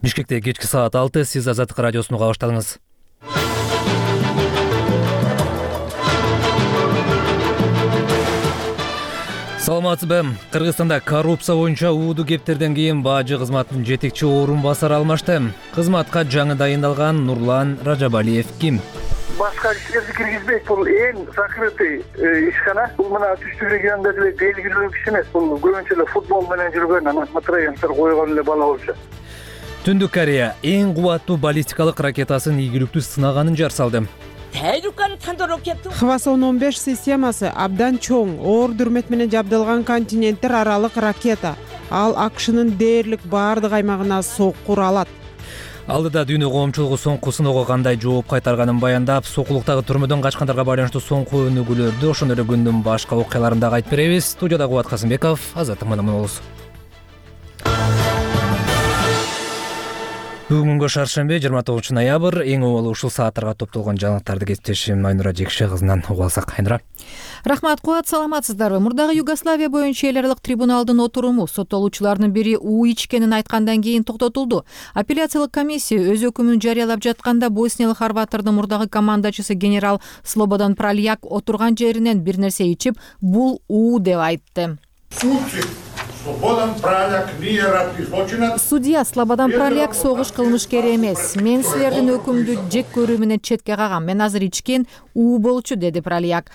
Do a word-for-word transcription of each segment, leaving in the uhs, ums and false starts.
Бишкекте кечки саат алты, сиз Азаттык радиосуну уга баштадыңыз. Саламатсызбы? Кыргызстанда коррупция боюнча ууду кептерден кийин бажы кызматынын жетекчи орун басары алмашты. Кызматка жаңы дайындалган Нурлан Ражабалиев ким? Башка иштерди киргизбейт. Бул эң закрытый ишкана. Бул мына Түштүк регионунда деле белгилүү киши эмес. Бул көбүнчө эле футбол менен жүргөн, анан матроенсер койгон эле бала болчу. Түндүк Корея эң кубаттуу баллистикалык ракетасын ийгиликтүү сынаганын жар салды. Хвасон он беш системасы абдан чоң, оор дүрмөт менен жабдылган континенттер аралык ракета. Ал АКШнын дээрлик баардык аймагына соккур алат. Алдыда дүйнө коомчулугу соңку сыноого кандай жооп кайтарганын баяндап, сокулуктагы түрмөдөн качкандарга байланыштуу соңку өнүгүүлөрдү, ошондой эле күндүн башка окуяларын дагы айтып беребиз. Студияда Кубат Касымбеков, Азаттык менен болобуз. Бүгүнгү шаршемби жыйырма тогузунчу ноябрь эң обалы ушул сааттарга топтолгон жаңылыктарды кесиптешим Айнура Жекше кызынан угуп алсак. Айнура. Рахмат, Кубат, саламатсыздарбы? Мурдагы Югославия боюнча эл аралык трибуналдын отуруму соттолуучулардын бири уу ичкенин айткандан кийин токтотулду. Апелляциялык комиссия өз өкүмүн жарыялап жатканда босниялык хорваттардын мурдагы командачысы генерал Слободан Пралияк отурган жеринен бир нерсе ичип, бул уу деп айтты. Судья Слободан Пралияк согуш кылмышкери эмес. Мен силердин өкүмдү жек көрүү менен четке кагам. Мен азыр ичкен уу болчу, деди Пралияк.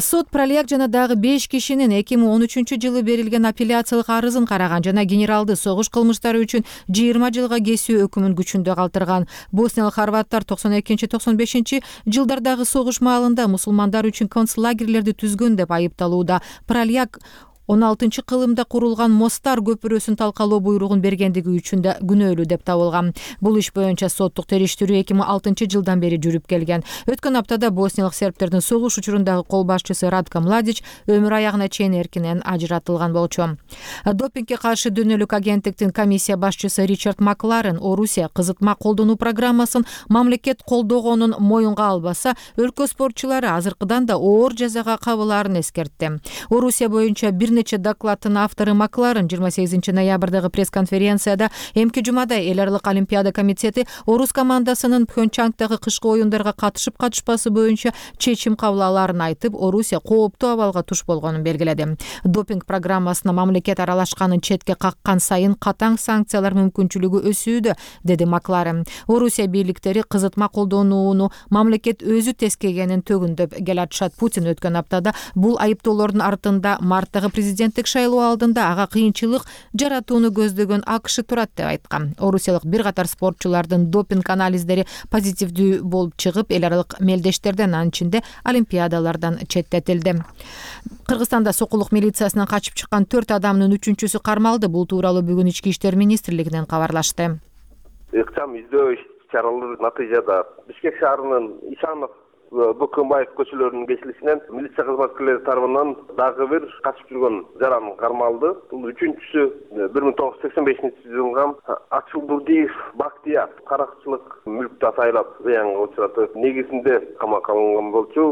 Сот Пралияк жана дагы беш кишинин эки миң он үчүнчү жылы берилген апелляциялык арызын караган жана генералды согуш кылмыштары үчүн жыйырма жылга кесүү өкүмүн күчүндө калтырган. Босниялык хорваттар токсон экинчи токсон бешинчи жылдардагы согуш маалында мусулмандар үчүн концлагерлерди түзгөн деп айыпталууда. Пралияк он алтынчы кылымда курулган Мостар көпүрөсүн талкалоо буйругун бергендиги үчүн да күнөөлүү деп табылган. Бул иш боюнча соттук териштирүү эки миң алтынчы жылдан бери жүрүп келген. Өткөн аптада босниялык сербтердин согуш учурундагы кол башчысы Радко Младич өмүр аягына чейин эркинен ажыратылган болчу. Допингге каршы дүйнөлүк агенттиктин комиссия башчысы Ричард Макларен Орусия кызытма колдонуу программасын мамлекет колдогонун моюнга албаса, өлкө спортчулары азыркыдан да оор жазага кабылаарын эскертти. Орусия боюнча бир нече докладтын автору Макларен жыйырма сегизинчи ноябрдагы пресс-конференцияда эмки жумада эл аралык олимпиада комитети орус командасынын Пхенчхангдагы кышкы оюндарга катышып катышпасы боюнча чечим кабыл алаарын айтып, Орусия кооптуу абалга туш болгонун белгиледи. Допинг программасына мамлекет аралашканын четке каккан сайын катаң санкциялар мүмкүнчүлүгү өсүүдө, деди Макларен. Орусия бийликтери кызытма колдонууну мамлекет өзү тескегенин төгүндөп келатышат. Путин өткөн аптада бул айыптоолордун артында марттагы президенттик шайлоо алдында ага кыйынчылык жаратууну көздөгөн АКШ турат деп айткан. Орусиялык бир катар спортчулардын допинг анализдери позитивдүү болуп чыгып, эл аралык мелдештерден, анын ичинде олимпиадалардан четтетилди. Кыргызстанда сокулук милициясынан качып чыккан төрт адамдын үчүнчүсү кармалды. Бул тууралуу бүгүн Ички иштер министрлигинен кабарлашты. Ыкчам издөө иш-чаралары натыйжада Бишкек шаарынын Ишанов Бөкөнбаев көчөлөрүнүн кесилишинен милиция кызматкерлери тарабынан дагы бир качып жүргөн жаран кармалды. Бул үчүнчүсү бир миң тогуз жүз сексен бешинчи жылгы Ачылбурдиев Бактияр каракчылык мүлктү атайлап зыянга учуратып, негизинде камакка алынган болчу,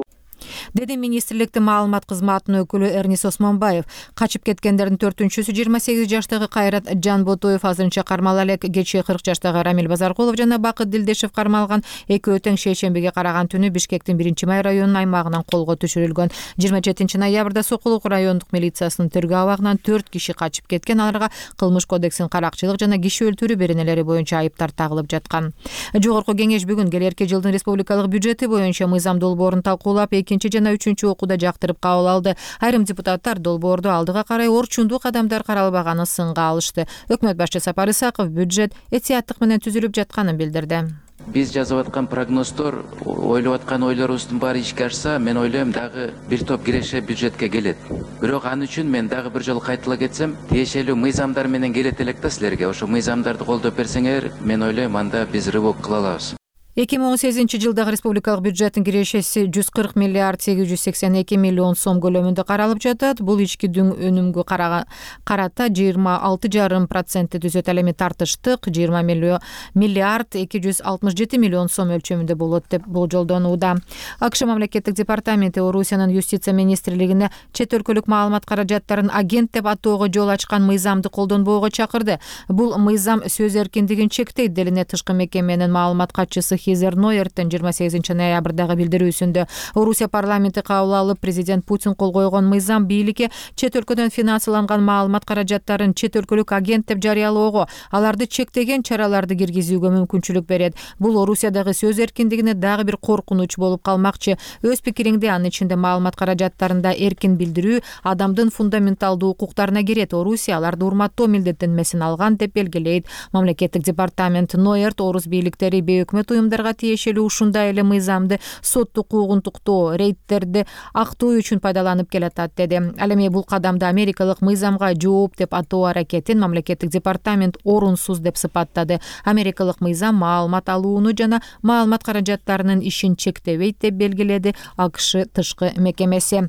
деди министрликтин маалымат кызматынын өкүлү Эрнис Осмонбаев. Качып кеткендердин төртүнчүсү жыйырма сегиз жаштагы Кайрат Жанботоев азырынча кармала элек. Кечээ кырк жаштагы Рамил Базаркулов жана Бакыт Дилдешев кармалган. Экөө тең шейшембиге караган түнү Бишкектин биринчи май районунун аймагынан колго түшүрүлгөн. жыйырма жетинчи ноябрда Сокулук райондук милициясынын тергөө абагынан төрт киши качып кеткен. Аларга кылмыш кодексинин каракчылык жана киши өлтүрүү беренелери боюнча айыптар тагылып жаткан. Жогорку кеңеш бүгүн келерки жылдын республикалык бюджети боюнча мыйзам долбоорун талкуулап, экинчи жана үчүнчү окууда жактырып кабыл алды. Айрым депутаттар долбоорду алдыга карай орчундуу кадамдар каралбаганын сынга алышты. Өкмөт башчысы Сапар Исаков бюджет этияттык менен түзүлүп жатканын билдирди. Биз жазып аткан прогноздор, ойлоп аткан ойлорубуздун баары ишке ашса, мен ойлойм дагы бир топ киреше бюджетке келет. Бирок аны үчүн мен дагы бир жолу кайтыла кетсем, тиешелүү мыйзамдар менен келет элек да силерге. Ошо мыйзамдарды колдоп берсеңер, мен ойлойм анда биз рывок кыла алабыз. эки миң он сегизинчи жылдагы республикалык бюджеттин кирешеси жүз кырк миллиард сегиз жүз сексен эки миллион сом көлөмүндө каралып жатат. Бул ички өнүмгө карата жыйырма алты жарым процентти түзөт. Ал эми тартыштык жыйырма миллиард эки жүз алтымыш жети миллион сом өлчөмүндө болот деп болжолдонууда. АКШ мамлекеттик департаменти Орусиянын юстиция министрлигине чет өлкөлүк маалымат каражаттарын агент деп атоого жол ачкан мыйзамды колдонбоого чакырды. Бул мыйзам сөз эркиндигин чектейт делинет тышкы мекеменин маалымат катчысы Хизер Нойерттин жыйырма сегизинчи ноябрдагы билдирүүсүндө. Орусия парламенти кабыл алып, президент Путин кол койгон мыйзам бийликке чет өлкөдөн финансыланган маалымат каражаттарын чет өлкөлүк агент деп жарыялоого, аларды чектеген чараларды киргизүүгө мүмкүнчүлүк берет. Бул Орусиядагы сөз эркиндигине дагы бир коркунуч болуп калмакчы. Өз пикириңди анын ичинде маалымат каражаттарында эркин билдирүү адамдын фундаменталдуу укуктарына кирет. Орусия аларды урматтоо милдеттенмесин алган деп белгилейт. Мамлекеттик департамент Нойерт орус бийликтери бейөкмөт уюмдарга тиешелүү ушундай эле мыйзамды соттук укугунтуктоо, рейдтерди актоо үчүн пайдаланып келатат деди. Ал эми бул кадамды америкалык мыйзамга жооп деп атоо аракетин мамлекеттик департамент орунсуз деп сыпаттады. Америкалык мыйзам маалымат алууну жана маалымат каражаттарынын ишин чектебейт деп белгиледи АКШ тышкы мекемеси.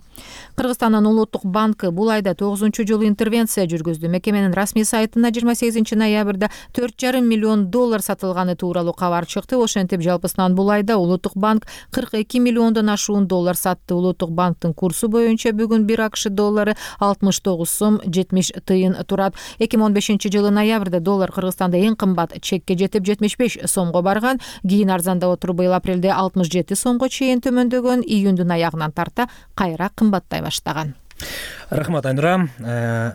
Кыргызстандын улуттук банкы бул айда тогузунчу жолу интервенция жүргүздү. Мекеменин расмий сайтына жыйырма сегизинчи ноябрда төрт жарым миллион доллар сатылганы тууралуу кабар чыкты. Ошентип жалпысынан бул айда улуттук банк кырк эки миллиондон ашуун доллар сатты. Улуттук банктын курсу боюнча бүгүн бир АКШ доллары алтымыш тогуз сом жетимиш тыйын турат. эки миң он бешинчи жылы ноябрда доллар Кыргызстанда эң кымбат чекке жетип жетимиш беш сомго барган. Кийин арзандап отуруп быйыл апрелде алтымыш жети сомго чейин төмөндөгөн, июндун аягынан тарта кайра кымбаттай баштаган. Рахмат, Айнура.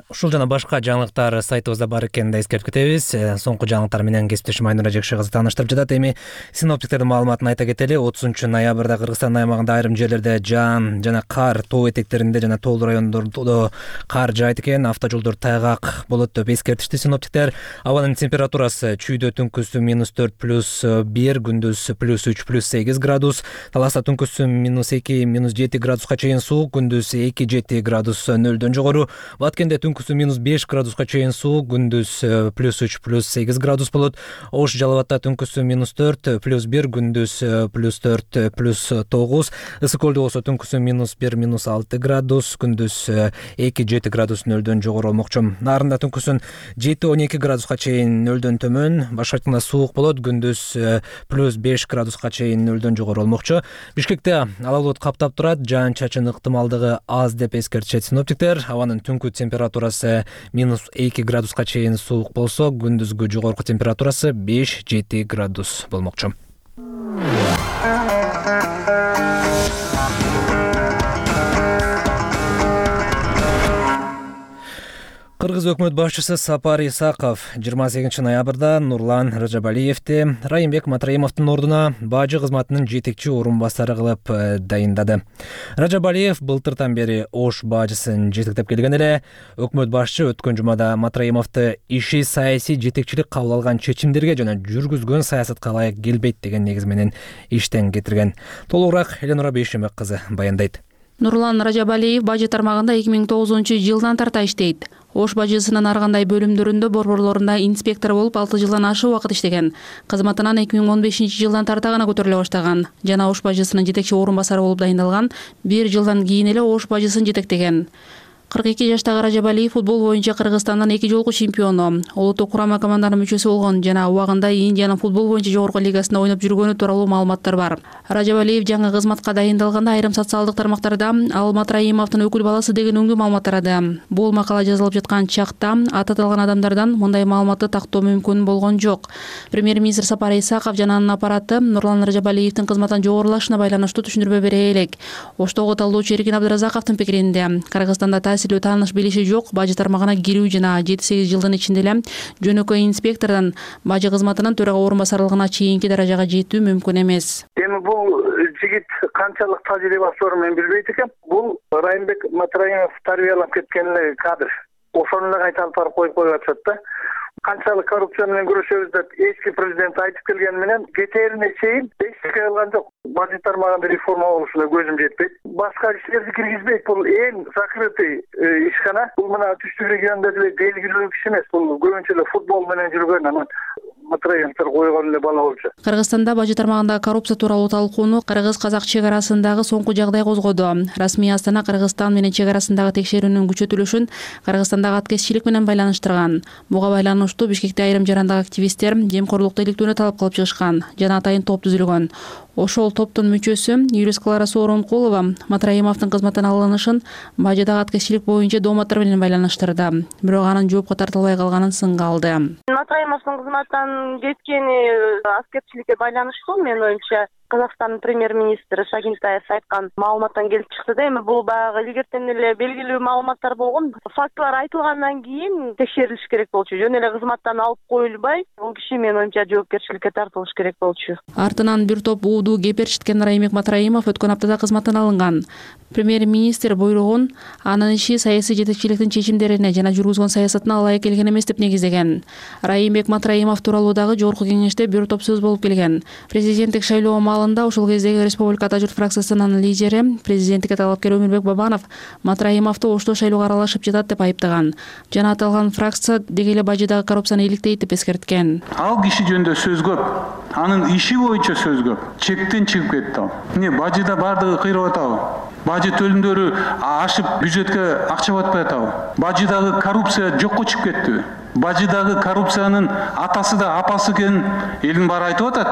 Ушул жана башка жаңылыктар сайтыбызда бар экенин да эскертип кетебиз. Соңку жаңылыктар менен кесиптешим Айнура Жекши кызы тааныштырып жатат. Эми синоптиктердин маалыматын айта кетели. отузунчу ноябрда Кыргызстан аймагында айрым жерлерде жаан жана кар, тоо этектеринде жана тоолуу райондордо кар жаайт экен. Автожолдор тайгак болот деп эскертишти синоптиктер. Абанын температурасы чүйдө түнкүсү минус төрт плюс бир, күндүз плюс үч плюс сегиз градус. Таласта түнкүсү минус эки минус жети градуска чейин суук, күндүз эки жети градус нөлдөн жогору. Баткенде түнкүсү минус беш градуска чейин суук, күндүз плюс үч плюс сегиз градус болот. Ош Жалал абадта түнкүсү минус төрт плюс бир, күндүз плюс төрт плюс тогуз. Ысык Көлдө болсо түнкүсү минус бир минус алты градус, күндүз эки жети градус нөлдөн жогору болмокчу. Нарында түнкүсүн жети он эки градуска чейин нөлдөн төмөн, башкачында суук болот, күндүз плюс беш градуска чейин нөлдөн жогору болмокчу. Бишкекте ала булут каптап турат, жаан-чачын ыктымалдыгы аз деп эскертишет синоптиктер. Абанын түнкү температурасы минус эки градуска чейин суук болсо, күндүзгү жогорку температурасы беш жети градус болмокчу. Кыргыз өкмөт башчысы Сапар Исаков жыйырма сегизинчи ноябрда Нурлан Ражабалиевди Райымбек Матраимовдун ордуна бажы кызматынын жетекчи орун басары кылып дайындады. Ражабалиев былтыртан бери Ош бажысын жетектеп келген эле. Өкмөт башчы өткөн жумада Матраимовду иши саясий жетекчилик кабыл алган чечимдерге жана жүргүзгөн саясатка ылайык келбейт деген негиз менен иштен кетирген. Толугураак Эленора Бейшемек кызы баяндайт. Нурлан Ражабалиев бажы тармагында эки миң тогузунчу жылдан тарта иштейт. Ош бажысынын ар кандай бөлүмдөрүндө борборлорунда инспектор болуп алты жылдан ашык убакыт иштеген. Кызматынан эки миң он бешинчи жылдан тарта гана көтөрүлө баштаган жана Ош бажысынын жетекчи орун басары болуп дайындалган. Бир жылдан кийин эле Ош бажысын жетектеген. кырк эки жаштагы Ражабалиев футбол боюнча Кыргызстандын эки жолку чемпиону, улуттук курама команданын мүчөсү болгон жана убагында Индиянын футбол боюнча жогорку лигасында ойноп жүргөнү тууралуу маалыматтар бар. Ражабалиев жаңы кызматка дайындалганда айрым социалдык тармактарда ал Матраимовдун өкүл баласы деген өңдүү маалымат тарады. Бул макала жазылып жаткан чакта аты аталган адамдардан мындай маалыматты тактоо мүмкүн болгон жок. Премьер-министр Сапар Исаков жана анын аппараты Нурлан Ражабалиевдин кызматтан жогорулашына байланыштуу түшүндүрмө бере элек. Оштогу талдоочу Эркин Абдыразаковдун пикиринде Кыргызстанда таасирлүү тааныш билиши жок, бажы тармагына кирүү жана жети сегиз жылдын ичинде эле жөнөкөй инспектордон бажы кызматынын төрага орун басарлыгына чейинки даражага жетүү мүмкүн эмес. Эми бул жигит канчалык тажрыйбасы бар мен билбейт экем. Бул Райымбек Матраимов тарбиялап кеткен эле кадр. Ошону эле кайта алып барып коюп коюп атышат да. Канчалык коррупция менен күрөшөбүз деп эски президент айтып келген менен кетерине чейин эчтеке кылган жок. Бажы тармагында реформа болушуна көзүм жетпейт. Башка иштерди киргизбейт. Бул эң закрытый ишкана. Бул мына түштүк региондо деле белгилүү киши эмес. Бул көбүнчө эле футбол менен жүргөн, анан Матраевдер койгон эле бала болчу. Кыргызстанда бажы тармагындагы коррупция тууралуу талкууну кыргыз-казак чек арасындагы соңку жагдай козгоду. Расмий Астана Кыргызстан менен чек арасындагы текшерүүнүн күчөтүлүшүн Кыргызстандагы аткезчилик менен байланыштырган. Буга байланыштуу Бишкекте айрым жарандагы активисттер жемкорлукту иликтүүнү талап кылып чыгышкан. Жана атайын топ түзүлгөн. Ошол топтун мүчөсү Юлис Клара Сооронкулова Матраимовдун кызматтан алынышын бажыдагы аткезчилик боюнча дооматтар менен байланыштырды. Бирок анын жоопко тартылбай калганын сынга алды. Матраимовдун кызматтан кеткени аскерчиликке байланыштуу, менин оюмча. Казакстандын премьер-министри Шагинтаев айткан маалыматтан келип чыкты да, эми бул баягы илгертен эле белгилүү маалыматтар болгон. Фактылар айтылгандан кийин текшерилиш керек болчу. Жөн эле кызматтан алып коюлбай, бул киши менин оюмча жоопкерчиликке тартылыш керек болчу. Артынан бир топ ууду кеперчиткен Райымбек Матраимов өткөн аптада кызматтан алынган. Премьер-министр буйругун анын иши саясий жетекчиликтин чечимдерине жана жүргүзгөн саясатына ылайык келген эмес деп негиздеген. Райымбек Матраимов тууралуу дагы жогорку кеңеште бир топ сөз болуп келген. Президенттик шайлоо маалында ошол кездеги Республика Ата журт фракциясынын лидери, президенттикке талапкер Өмүрбек Бабанов Матраимовду оштоо шайлоого аралашып жатат деп айыптаган. Жана аталган фракция деги эле бажыдагы коррупцияны иликтейт деп эскерткен. Ал киши жөнүндө сөз көп, анын иши боюнча сөз көп. Чектен чыгып кетти ал. Эмне бажыда бардыгы кыйрап атабы? Бажы төлүмдөрү ашып бюджетке акча батпай атабы? Бажыдагы коррупция жокко чыгып кеттиби? Бажыдагы коррупциянын атасы да апасы экенин элдин баары айтып атат.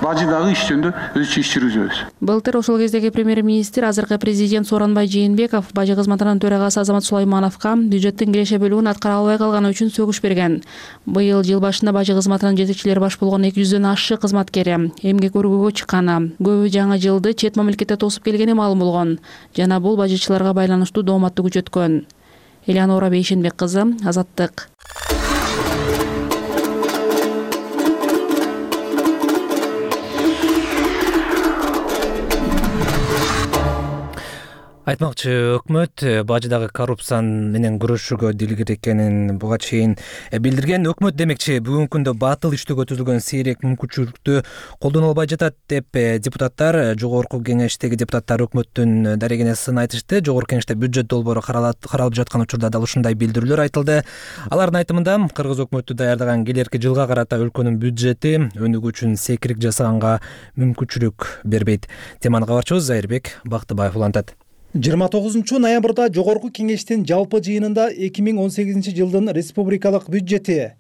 Бажыдагы иш жөнүндө өзүчө иш жүргүзөбүз. Былтыр ошол кездеги премьер-министр, азыркы президент Сооронбай Жээнбеков бажы кызматынын төрагасы Азамат Сулаймановго бюджеттин киреше бөлүгүн аткара албай калганы үчүн сөгүш берген. Быйыл жыл башында бажы кызматынын жетекчилери баш болгон эки жүздөн ашык кызматкери эмгек өргүүгө чыкканы, көбү жаңы жылды чет мамлекетте тосуп келгени маалым болгон жана бул бажычыларга байланыштуу дооматты күчөткөн. Элеонора Бейшенбек кызы, Азаттык. Айтмакчы, өкмөт бажыдагы коррупция менен күрөшүүгө дилгир экенин буга чейин билдирген. Өкмөт демекчи бүгүнкү күндө батыл иштөөгө түзүлгөн сейрек мүмкүнчүлүктү колдоно албай жатат деп депутаттар, жогорку кеңештеги депутаттар өкмөттүн дарегине сын айтышты. Жогорку кеңеште бюджет долбоору каралып жаткан учурда дал ушундай билдирүүлөр айтылды. Алардын айтымында кыргыз өкмөтү даярдаган келерки жылга карата өлкөнүн бюджети өнүгүү үчүн секирик жасаганга мүмкүнчүлүк бербейт. Теманы кабарчыбыз Зайырбек Бактыбаев улантат. жыйырма тогузунчу ноябрда жогорку кеңештин жалпы жыйынында эки миң он сегизинчи жылдын республикалык бюджети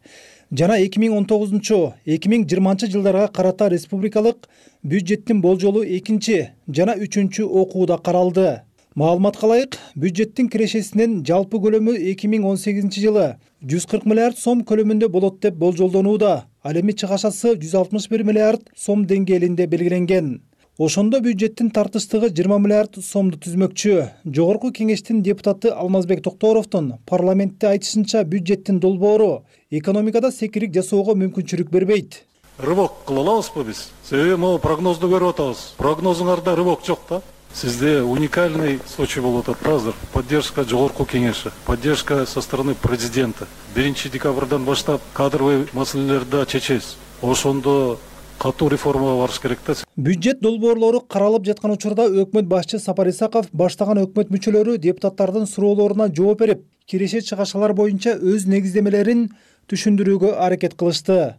жана эки миң он тогузунчу эки миң жыйырманчы жылдарга карата республикалык бюджеттин болжолу экинчи жана үчүнчү окууда каралды. Маалыматка ылайык, бюджеттин кирешесинин жалпы көлөмү эки миң он сегизинчи жылы жүз кырк миллиард сом көлөмүндө болот деп болжолдонууда. Ал эми чыгашасы жүз алтымыш бир миллиард сом деңгээлинде белгиленген. Ошондо бюджеттин тартыштыгы жыйырма миллиард сомду түзмөкчү. Жогорку кеңештин депутаты Алмазбек Токторовдун парламентте айтышынча, бюджеттин долбоору экономикада секирик жасоого мүмкүнчүлүк бербейт. Рывок кыла алабызбы биз? Себеби могу прогнозду көрүп атабыз. Прогнозуңарда рывок жок да. Сизде уникальный случай болуп атат да азыр. Поддержка жогорку кеңеши, поддержка со стороны президента. биринчи декабрдан баштап кадровый маселелерди чечебиз. Ошондо катуу реформага барыш керек да. Бюджет долбоорлору каралып жаткан учурда өкмөт башчы Сапар Исаков баштаган өкмөт мүчөлөрү депутаттардын суроолоруна жооп берип, киреше чыгашалар боюнча өз негиздемелерин түшүндүрүүгө аракет кылышты.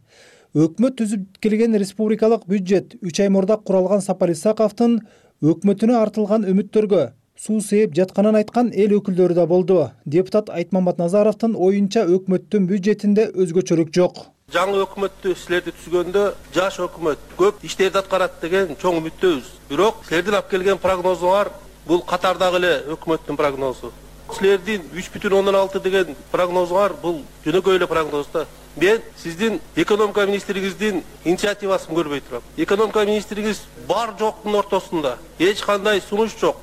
Өкмөт түзүп келген республикалык бюджет үч ай мурда куралган Сапар Исаковдун өкмөтүнө артылган үмүттөргө суу сээп жатканын айткан эл өкүлдөрү да болду. Депутат Айтмамбат Назаровдун оюнча өкмөттүн бюджетинде өзгөчөлүк жок. Жаңы өкмөттү силерди түзгөндө жаш өкмөт көп иштерди аткарат деген чоң үмүттөбүз. Бирок силердин алып келген прогнозуңар бул катардагы эле өкмөттүн прогнозу. Силердин үч бүтүн ондон алты деген прогнозуңар бул жөнөкөй эле прогноз да. Мен сиздин экономика министриңиздин инициативасын көрбөй турам. Экономика министриңиз бар жоктун ортосунда эч кандай сунуш жок,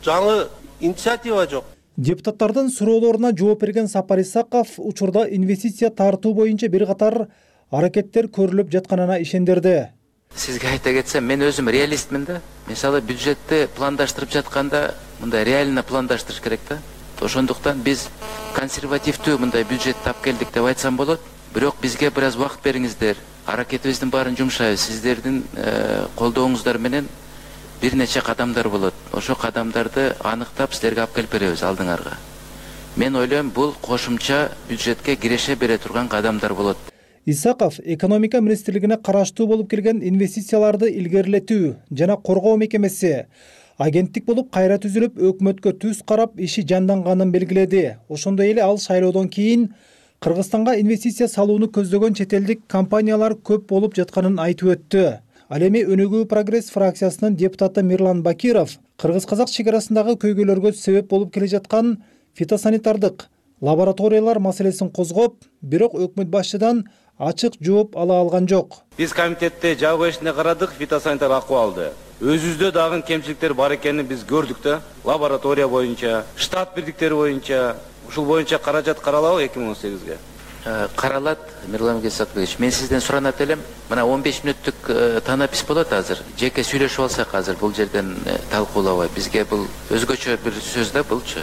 жаңы инициатива жок. Депутаттардын суроолоруна жооп берген Сапар Исаков учурда инвестиция тартуу боюнча бир катар аракеттер көрүлүп жатканына ишендирди. Сизге айта кетсем, мен өзүм реалистмин да. Мисалы бюджетти пландаштырып жатканда мындай реально пландаштырыш керек да. Ошондуктан биз консервативдүү мындай бюджетти алып келдик деп айтсам болот. Бирок бизге бир аз убакыт бериңиздер. Аракетибиздин баарын жумшайбыз. Сиздердин колдооңуздар менен бир нече кадамдар болот. Ошо кадамдарды аныктап силерге алып келип беребиз алдыңарга. Мен ойлойм, бул кошумча бюджетке киреше бере турган кадамдар болот. Исаков экономика министрлигине караштуу болуп келген инвестицияларды илгерилетүү жана коргоо мекемеси агенттик болуп кайра түзүлүп өкмөткө түз карап иши жанданганын белгиледи. Ошондой эле ал шайлоодон кийин Кыргызстанга инвестиция салууну көздөгөн чет элдик компаниялар көп болуп жатканын айтып өттү. Ал эми Өнүгүү прогресс фракциясынын депутаты Мирлан Бакиров кыргыз-казак чек арасындагы көйгөйлөргө себеп болуп келе жаткан фитосанитардык лабораториялар маселесин козгоп, бирок өкмөт башчыдан ачык жооп ала алган жок. Биз комитетте жабык эшине карадык фитосанитар акыбалды. Өзүбүздө дагы кемчиликтер бар экенин биз көрдүк да. Лаборатория боюнча, штат бирдиктери боюнча, ушул боюнча каражат каралабы эки миң он сегизге? Каралат, Мирлан Исакович. Мен сизден суранат элем. Мына он беш мүнөттүк танапис болот азыр. Жеке сүйлөшүп алсак азыр бул жерден талкуулабай. Бизге бул өзгөчө бир сөз да булчу.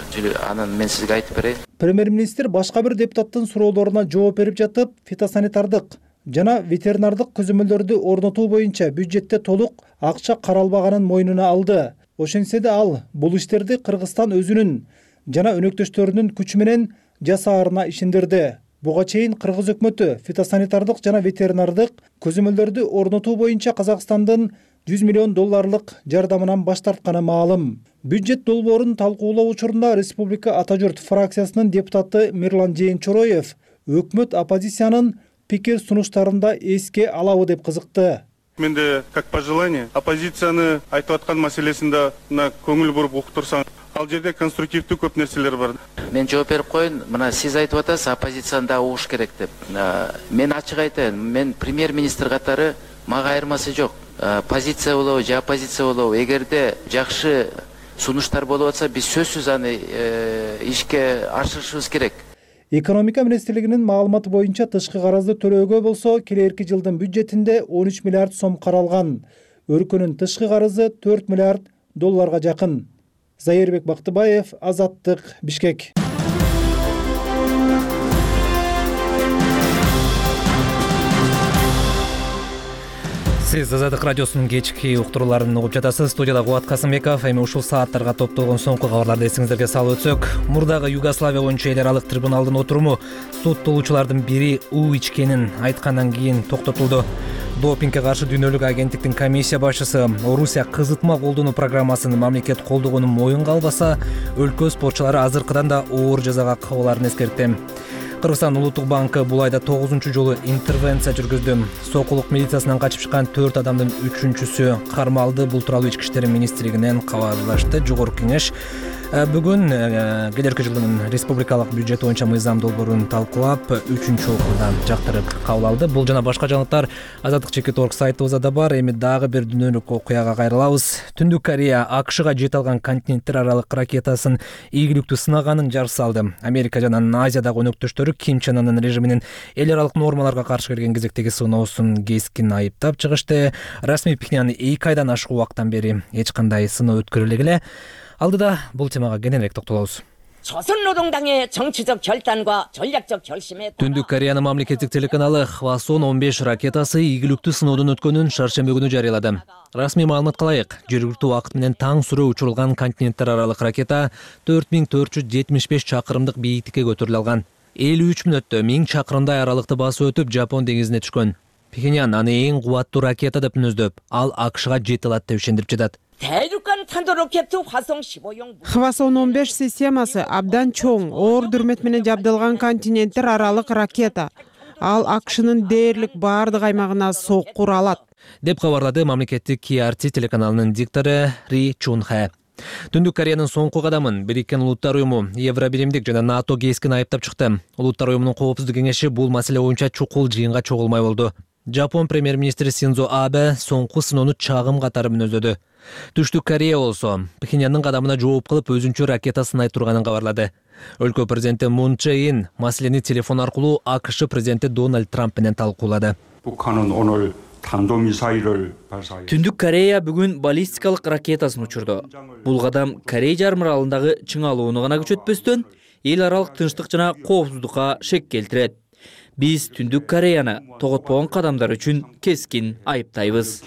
Анан мен сизге айтып берейин. Премьер-министр башка бир депутаттын суроолоруна жооп берип жатып, фитосанитардык жана ветеринардык көзөмөлдөрдү орнотуу боюнча бюджетте толук акча каралбаганын мойнуна алды. Ошентсе да ал бул иштерди Кыргызстан өзүнүн жана өнөктөштөрүнүн күчү менен жасаарына ишендирди. Буга чейин кыргыз өкмөтү фитосанитардык жана ветеринардык көзөмөлдөрдү орнотуу боюнча Казакстандын жүз миллион долларлык жардамынан баш тартканы маалым. Бюджет долбоорун талкуулоо учурунда Республика Ата журт фракциясынын депутаты Мирлан Жээнчороев өкмөт оппозициянын пикир сунуштарында эске алабы деп кызыкты. Менде как пожелание оппозицияны айтып аткан маселесинде көңүл буруп уктурсаң, ал жерде конструктивдүү көп нерселер бар. Мен жооп берип коеюн. Мына сиз айтып атасыз, оппозицияны да угуш керек деп. Мен ачык айтайын, мен премьер-министр катары мага айырмасы жок. Позиция болобу же оппозиция болобу, эгерде жакшы сунуштар болуп атса, биз сөзсүз аны ишке ашырышыбыз керек. Экономика министрлигинин маалыматы боюнча тышкы карызды төлөөгө болсо келерки жылдын бюджетинде он үч миллиард сом каралган. Өлкөнүн тышкы карызы төрт миллиард долларга жакын. Зайырбек Бактыбаев, Азаттык, Бишкек. Сиз Азаттык радиосунун кечки уктурууларын угуп жатасыз. Студияда Кубат Касымбеков. Эми ушул сааттарга топтолгон соңку кабарларды эсиңиздерге салып өтсөк, мурдагы Югославия боюнча эл аралык трибуналдын отуруму соттолуучулардын бири уу ичкенин айткандан кийин токтотулду. Допингге каршы дүйнөлүк агенттиктин комиссия башчысы Орусия кызытма колдонуу программасын мамлекет колдогонун моюнга албаса, өлкө спортчулары азыркыдан да оор жазага кабылаарын эскертти. Кыргызстан улуттук банкы бул айда тогузунчу жолу интервенция жүргүздү. Сокулук милициясынан качып чыккан төрт адамдын үчүнчүсү кармалды. Бул тууралуу Ички иштер министрлигинен кабарлашты. Жогорку кеңеш бүгүн келерки жылдын республикалык бюджет боюнча мыйзам долбоорун талкуулап, үчүнчү окууда жактырып кабыл алды. Бул жана башка жаңылыктар Азаттык чекит орг сайтыбызда да бар. Эми дагы бир дүйнөлүк окуяга кайрылабыз. Түндүк Корея АКШга жете алган континенттер аралык ракетасын ийгиликтүү сынаганын жарыш салды. Америка жана Азиядагы өнөктөштөрү Ким Чен Ынын режиминин эл аралык нормаларга каршы келген кезектеги сыноосун кескин айыптап чыгышты. Расмий Пхеньян эки айдан ашык убакыттан бери эч кандай сыноо өткөрүлө эле. Алдыда бул темага кененирээк токтолобуз. 조선노동당의 정치적 결단과 전략적 결심에 Түндүк Кореянын мамлекеттик телеканалы Хвасон он беш ракетасы ийгиликтүү сыноодон өткөнүн шаршемби күнү жарыялады. Расмий маалыматка ылайык, жергиликтүү убакыт менен таң сүрө учурулган континенттер аралык ракета төрт миң төрт жүз жетимиш беш чакырымдык бийиктикке көтөрүлө алган. элүү үч мүнөттө миң чакырымдай аралыкты басып өтүп Жапон деңизине түшкөн. Пхеньян аны эң кубаттуу ракета деп мүнөздөп, ал АКШга жете алат деп ишендирип жатат. 대륙간 탄도 로켓 화성 십오용 Хвасон он беш системасы абдан чоң, оор дүрмөт менен жабдылган континенттер аралык ракета. Ал АКШнын дээрлик баардык аймагына соккур алат, деп кабарлады мамлекеттик Ки Ар Ти телеканалынын диктору Ри Чун Хэ. Түндүк Кореянын соңку кадамын Бириккен Улуттар уюму, Евробиримдик жана НАТО кескин айыптап чыкты. Улуттар уюмунун коопсуздук кеңеши бул маселе боюнча чукул жыйынга чогулмай болду. Жапон премьер-министри Синдзо Абе соңку сыноону чагым катары мүнөздөдү. Түштүк Корея болсо Пхеньяндын кадамына жооп кылып өзүнчө ракета сынай турганын кабарлады. Өлкө президенти Мун Чжэ Ин маселени телефон аркылуу АКШ президенти Дональд Трамп менен талкуулады. Түндүк Корея бүгүн баллистикалык ракетасын учурду. Бул кадам Корей жарым аралындагы чыңалууну гана күчөтпөстөн, эл аралык тынчтык жана коопсуздукка шек келтирет. Биз Түндүк Кореяны тоготпогон кадамдар үчүн кескин айыптайбыз,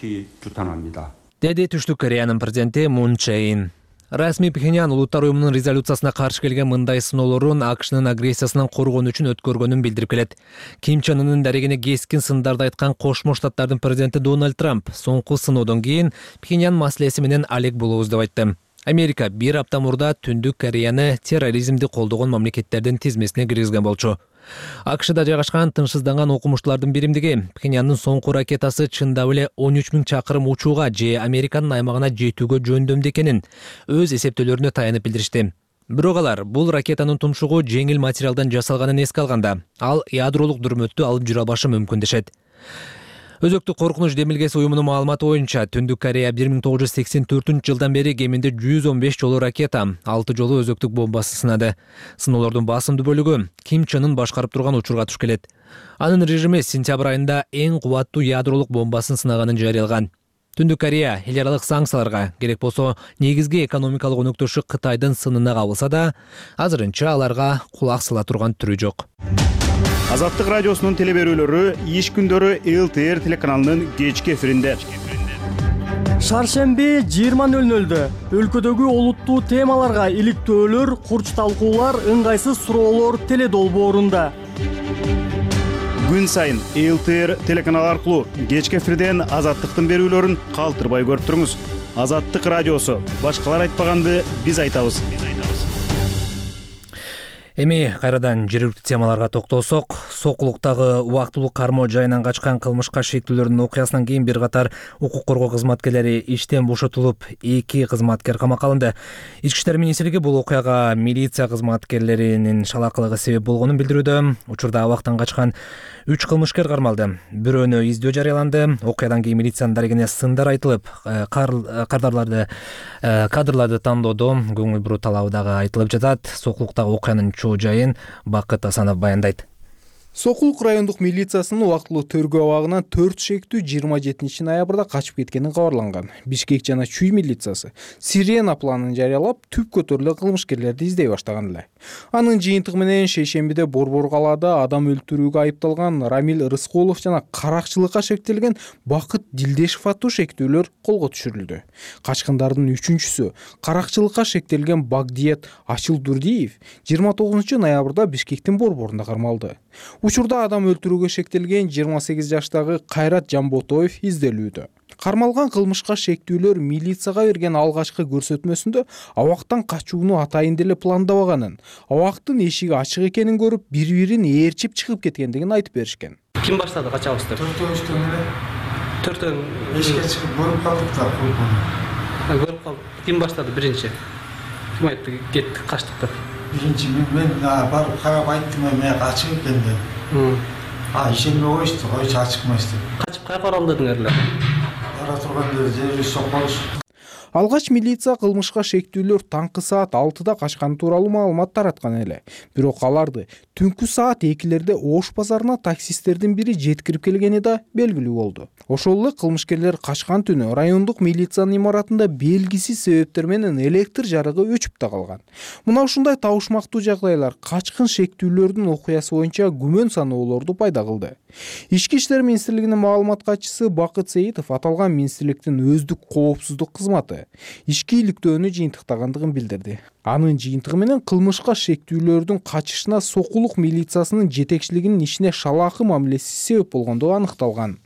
деди Түштүк Кореянын президенти Мун Чжэ Ин. Расмий Пхеньян улуттар уюмунун резолюциясына каршы келген мындай сыноолорун АКШнын агрессиясынан коргонуу үчүн өткөргөнүн билдирип келет. Ким Чен Ынын дарегине кескин сындарды айткан Кошмо Штаттардын президенти Дональд Трамп соңку сыноодон кийин Пхеньян маселеси менен алек болобуз деп айтты. Америка бир апта мурда Түндүк Кореяны терроризмди колдогон мамлекеттердин тизмесине киргизген болчу. АКШда жайгашкан тынчсызданган окумуштуулардын биримдиги Пхеньяндын соңку ракетасы чындап эле он үч миң чакырым учууга же Американын аймагына жетүүгө жөндөмдүү экенин өз эсептөөлөрүнө таянып билдиришти. Бирок алар бул ракетанын тумшугу жеңил материалдан жасалганын эске алганда, ал ядролук дүрмөттү алып жүрө албашы мүмкүн дешет. Өзөктүк коркунуч демилгеси уюмунун маалыматы боюнча Түндүк Корея бир миң тогуз жүз сексен төртүнчү жылдан бери кеминде жүз он беш жолу ракета, алты жолу өзөктүк бомбасы сынады. Сыноолордун басымдуу бөлүгү Ким Чен Ын башкарып турган учурга туш келет. Анын режими сентябрь айында эң кубаттуу ядролук бомбасын сынаганын жарыялаган. Түндүк Корея эл аралык санкцияларга, керек болсо негизги экономикалык өнөктөшү Кытайдын сынына кабылса да, азырынча аларга кулак сала турган түрү жок. Азаттык радиосунун телеберүүлөрү иш күндөрү эл тэ эр телеканалынын кечки эфиринде. Шаршемби жыйырма нөл нөлдө өлкөдөгү олуттуу темаларга иликтөөлөр, курч талкуулар, ыңгайсыз суроолор теледолбоорунда. Күн сайын эл тэ эр телеканалы аркылуу кечки эфирден Азаттыктын берүүлөрүн калтырбай көрүп туруңуз. Азаттык радиосу. Башкалар айтпаганды биз айтабыз. Эми кайрадан жергиликтүү темаларга токтолсок, Сокулуктагы убактылуу кармоо жайынан качкан кылмышка шектүүлөрдүн окуясынан кийин бир катар укук коргоо кызматкерлери иштен бошотулуп, эки кызматкер камакка алынды. Ички иштер министрлиги бул окуяга милиция кызматкерлеринин шалакылыгы себеп болгонун билдирүүдө. Учурда абактан качкан үч кылмышкер кармалды. Бирөөнө издөө жарыяланды. Окуядан кийин милициянын дарегине сындар айтылып, кадрларды кадрларды тандоодо көңүл буруу талабы дагы айтылып жатат. Сокулуктагы окуянын жайын Бакыт Асанов баяндайт. Сокулук райондук милициясынын убактылуу тергөө абагынан төрт шектүү жыйырма жетинчи ноябрда качып кеткени кабарланган. Бишкек жана Чүй милициясы Сирена планын жарыялап, түп көтөрүлө кылмышкерлерди издей баштаган эле. Анын жыйынтыгы менен шейшембиде Борбор калаада адам өлтүрүүгө айыпталган Рамил Рыскулов жана каракчылыкка шектелген Бакыт Дилдешев аттуу шектүүлөр колго түшүрүлдү. Качкындардын үчүнчүсү каракчылыкка шектелген Багдиет Ачыл Дурдиев жыйырма тогузунчу ноябрда Бишкектин Борборунда кармалды. Учурда адам өлтүрүүгө шектелген жыйырма сегиз жаштагы Кайрат Жамботоев изделүүдө. Кармалган кылмышка шектүүлөр милицияга берген алгачкы көрсөтмөсүндө абактан качууну атайын деле пландабаганын, абактын эшиги ачык экенин көрүп, бири-бирин ээрчип чыгып кеткендигин айтып беришкен. Ким баштады качабызды? Төртөөбүздөн эле. Төртөө эшикке чыгып көрүп калдык да, көрүп калдык. Ким баштады биринчи? Ким айтты кеттик, качтык деп? Биринчи мен барып карап айттым, мен качып экен деп. А, ишенбей коюшту, койчу ачыкмайсыз деп. Качып кайка оралдыңар эле? Бара турганда жери сокконуш. Алгач милиция кылмышка шектүүлөр таңкы саат алтыда качканы тууралуу маалымат тараткан эле. Бирок аларды түнкү саат экилерде Ош базарына таксисттердин бири жеткирип келгени да белгилүү болду. Ошол эле кылмышкерлер качкан түнү райондук милициянын имаратында белгисиз себептер менен электр жарыгы өчүп да калган. Мына ушундай табышмактуу жагдайлар качкын шектүүлөрдүн окуясы боюнча күмөн саноолорду пайда кылды. Ички иштер министрлигинин маалымат катчысы Бакыт Сеитов аталган министрликтин өздүк коопсуздук кызматы ички иликтөөнү жыйынтыктагандыгын билдирди. Анын жыйынтыгы менен кылмышка шектүүлөрдүн качышына Сокулук милициясынын жетекчилигинин ишине шалаакы мамилеси себеп болгондугу аныкталган.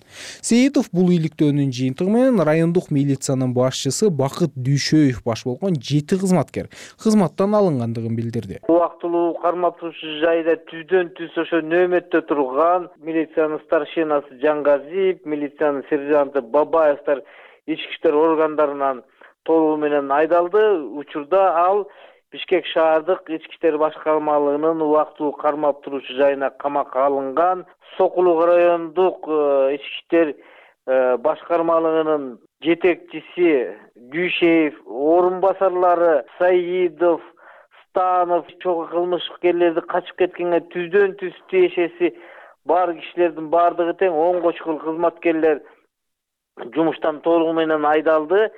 Сеитов бул иликтөөнүн жыйынтыгы менен райондук милициянын башчысы Бакыт Дүйшөев баш болгон жети кызматкер кызматтан алынгандыгын билдирди. Убактылуу кармап турушу жайда түздөн түз ошо нөөмөттө турган милициянын старшинасы Жангазиев, милициянын сержанты Бабаевтар ички иштер органдарынан толугу менен айдалды. Учурда ал Бишкек шаардык ички иштер башкармалыгынын убактылуу кармап турушу жайына камакка алынган. Сокулук райондук ички иштер башкармалыгынын жетекчиси Дүйшеев, орун басарлары Саидов, Станов чогуу кылмышкерлерди качып кеткенге түздөн түз тиешеси бар кишилердин бардыгы тең он чукул кызматкерлер жумуштан толугу менен айдалды.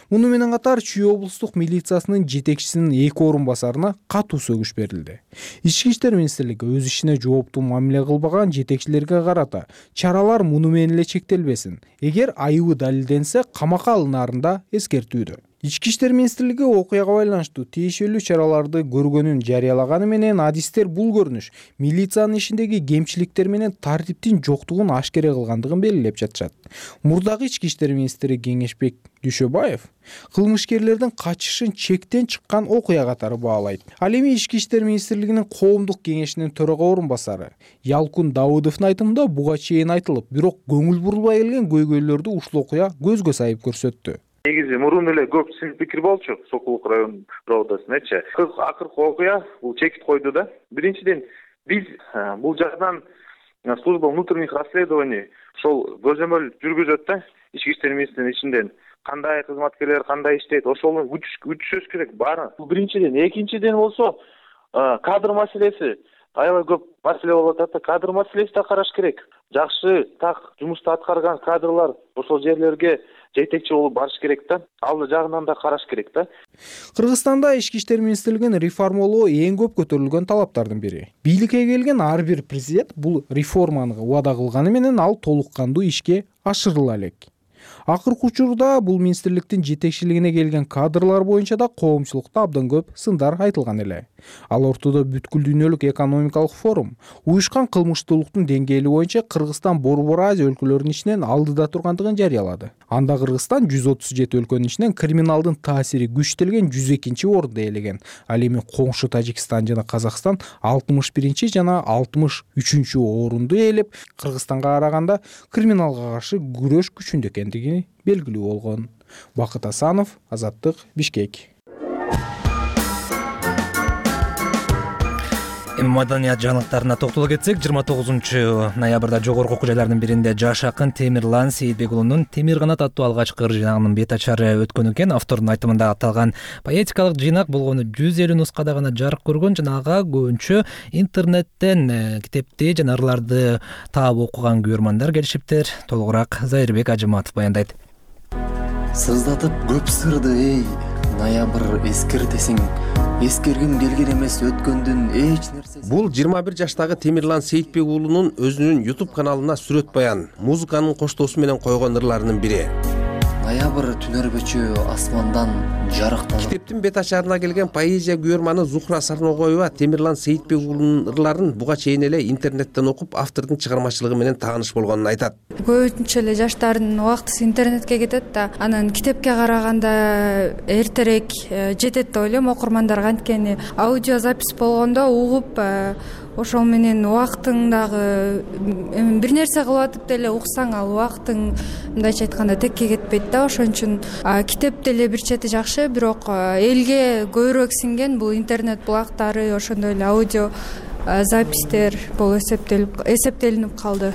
Муну менен катар Чүй облустук милициясынын жетекчисинин эки орун басарына катуу сөгүш берилди. Ички иштер министрлиги өз ишине жооптуу мамиле кылбаган жетекчилерге карата чаралар муну менен эле чектелбесин. Эгер айыбы далилденсе, камакка алынаарын да эскертүүдө. Ички иштер министрлиги окуяга байланыштуу тиешелүү чараларды көргөнүн жарыялаганы менен адистер бул көрүнүш милициянын ишиндеги кемчиликтер менен тартиптин жоктугун ашкере кылгандыгын белгилеп жатышат. Мурдагы ички иштер министри Кеңешбек Дүйшөбаев кылмышкерлердин качышын чектен чыккан окуя катары баалайт. Ал эми ички иштер министрлигинин коомдук кеңешинин төрага орун басары Ялкун Давыдовдун айтымында буга чейин айтылып, бирок көңүл бурулбай келген көйгөйлөрдү ушул окуя көзгө сайып көрсөттү. Негизи мурун эле көп син пикир болчу Сокулук район проводасыначы. Акыркы окуя бул чекит койду да. Биринчиден биз бул жактан служба внутренних расследований ошол көзөмөл жүргүзөт да ички иштер министринин ичинен кандай кызматкерлер кандай иштейт ошону күтүшөбүз керек баары. Бул биринчиден. Экинчиден болсо кадр маселеси аябай көп маселе болуп атат да, кадр маселеси да караш керек. Жакшы так жумушту аткарган кадрлар ошол жерлерге жетекчи болуп барыш керек да. Ал жагынан да караш керек да. Кыргызстанда ички иштер министрлигин реформалоо эң көп көтөрүлгөн талаптардын бири. Бийликке келген ар бир президент бул реформаны убада кылганы менен ал толук кандуу ишке ашырыла элек. Акыркы учурда бул министрликтин жетекчилигине келген кадрлар боюнча да коомчулукта абдан көп сындар айтылган эле. Ал ортодо бүткүл дүйнөлүк экономикалык форум уюшкан кылмыштуулуктун деңгээли боюнча Кыргызстан Борбор Азия өлкөлөрүнүн ичинен алдыда тургандыгын жарыялады. Анда Кыргызстан жүз отуз жети өлкөнүн ичинен криминалдын таасири күчтөлгөн жүз экинчи орунду ээлеген. Ал эми коңшу Тажикстан жана Казакстан алтымыш биринчи жана алтымыш үчүнчү орунду ээлеп, Кыргызстанга караганда криминалга каршы күрөш күчүндө экендиги белгилүү болгон. Бакыт Асанов, Азаттык, Бишкек. Маданият жаңылыктарына токтоло кетсек, жыйырма тогузунчу ноябрда жогорку окуу жайларынын биринде жаш акын Темирлан Сейитбек уулунун Темир канат аттуу алгачкы ыр жыйнагынын бет ачары өткөн экен. Автордун айтымында аталган поэтикалык жыйнак болгону жүз элүү нускада гана жарык көргөн жана ага көбүнчө интернеттен китепти жана ырларды таап окуган көрөрмандар келишиптир. Толугураак Зайырбек Ажыматов баяндайт. Сыздатып көп сырды эй, ноябрь эскертесиң. Эскергим келген эмес өткөндүн эч нерсеси. Бул жыйырма бир жаштагы Темирлан Сейитбек уулунун өзүнүн YouTube каналына сүрөт баян, музыканын коштоосу менен койгон ырларынын бири. Ноябрь түнөрбөчү асмандан жарыктанып. Китептин бет ачарына келген поэзия күйөрманы Зухра Сарногоева Темирлан Сейитбек уулунун ырларын буга чейин эле интернеттен окуп, автордун чыгармачылыгы менен тааныш болгонун айтат. Көбүнчө эле жаштардын убактысы интернетке кетет да, анан китепке караганда эртерээк жетет деп ойлойм окурмандарга. Анткени аудиозапись болгондо угуп ошол менен убактың дагы бир нерсе кылып атып деле уксаң ал убактың мындайча айтканда текке кетпейт да. Ошон үчүн китеп деле бир чети жакшы, бирок элге көбүрөөк сиңген бул интернет булактары, ошондой эле аудио запистер болуп эсептелип эсептелинип калды.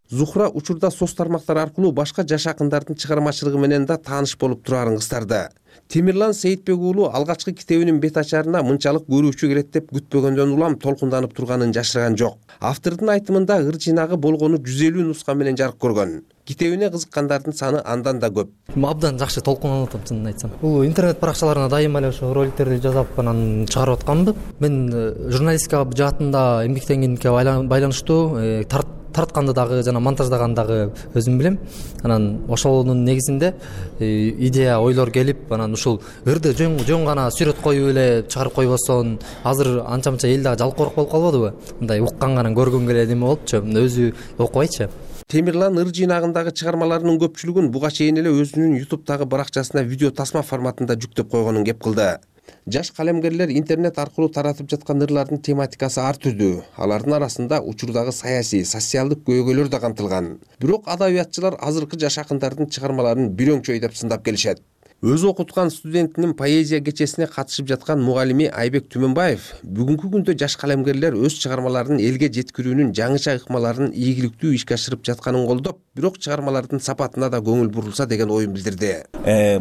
Зухра учурда соц тармактар аркылуу башка жаш акындардын чыгармачылыгы менен да тааныш болуп турарын кыстарды. Темирлан Сейитбек уулу алгачкы китебинин бет ачарына мынчалык көрүүчү келет деп күтпөгөндөн улам толкунданып турганын жашырган жок. Автордун айтымында ыр жыйнагы болгону жүз элүү нуска менен жарык көргөн. Китебине кызыккандардын саны андан да көп. Абдан жакшы толкунуп атам, чынын айтсам. Бул интернет баракчаларына дайыма эле ошо роликтерди жасап анан чыгарып атканбы. Мен журналистика жаатында эмгектенгендикке байланыштуу тартканды дагы жана монтаждаганды дагы өзүм билем. Анан ошонун негизинде идея, ойлор келип, анан ушул ырды жөн жөн гана сүрөт коюп эле чыгарып койбосоң, азыр анча-мынча эл дагы жалкоорок болуп калбадыбы? Мындай укканганан көргөн келет эме болупчу, өзү окубайчы. Темирлан ыр жыйнагындагы чыгармаларынын көпчүлүгүн буга чейин эле өзүнүн YouTube'тагы баракчасына видео тасма форматында жүктөп койгонун кеп кылды. Жаш калемгерлер интернет аркылуу таратып жаткан ырлардын тематикасы ар түрдүү. Алардын арасында учурдагы саясий, социалдык көйгөйлөр да камтылган. Бирок адабиятчылар азыркы жаш акындардын чыгармаларын бир өңчөй деп сындап келишет. Өзү окуткан студентинин поэзия кечесине катышып жаткан мугалими Айбек Түмөнбаев бүгүнкү күндө жаш калемгерлер өз чыгармаларын элге жеткирүүнүн жаңыча ыкмаларын ийгиликтүү ишке ашырып жатканын колдоп, бирок чыгармалардын сапатына да көңүл бурулса деген оюн билдирди.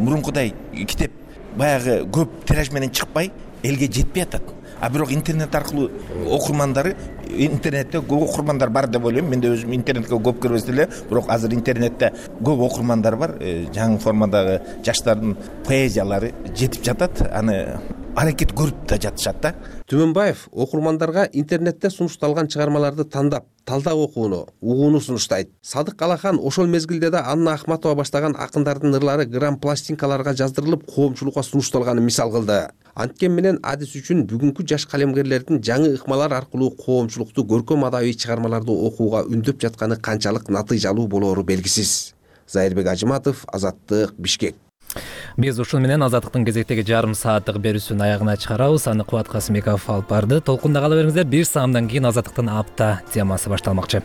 Мурункудай китеп баягы көп тираж менен чыкпай элге жетпей атат. А бирок интернет аркылуу окурмандары, интернетте көп окурмандар бар деп ойлойм. Мен да өзүм интернетке көп кирбес эле, бирок азыр интернетте көп окурмандар бар. Жаңы формадагы жаштардын поэзиялары жетип жатат. Аны аракет көрүп да жатышат да. Түмөнбаев окурмандарга интернетте сунушталган чыгармаларды тандап, талдап окууну, угууну сунуштайт. Садык Алахан ошол мезгилде да Анна Ахматова баштаган акындардын ырлары грамм пластинкаларга жаздырылып, коомчулукка сунушталганын мисал кылды. Анткен менен адис үчүн бүгүнкү жаш калемгерлердин жаңы ыкмалар аркылуу коомчулукту көркөм адабий чыгармаларды окууга үндөп жатканы канчалык натыйжалуу болоору белгисиз. Зайырбек Ажыматов, Азаттык, Бишкек. Биз ушун менен Азаттыктын кезектеги жарым сааттык берүүсүн аягына чыгарабыз. Аны Кубат Касымбеков алып барды. Толкунда кала бериңиздер. Бир саамдан кийин Азаттыктын апта темасы башталмакчы.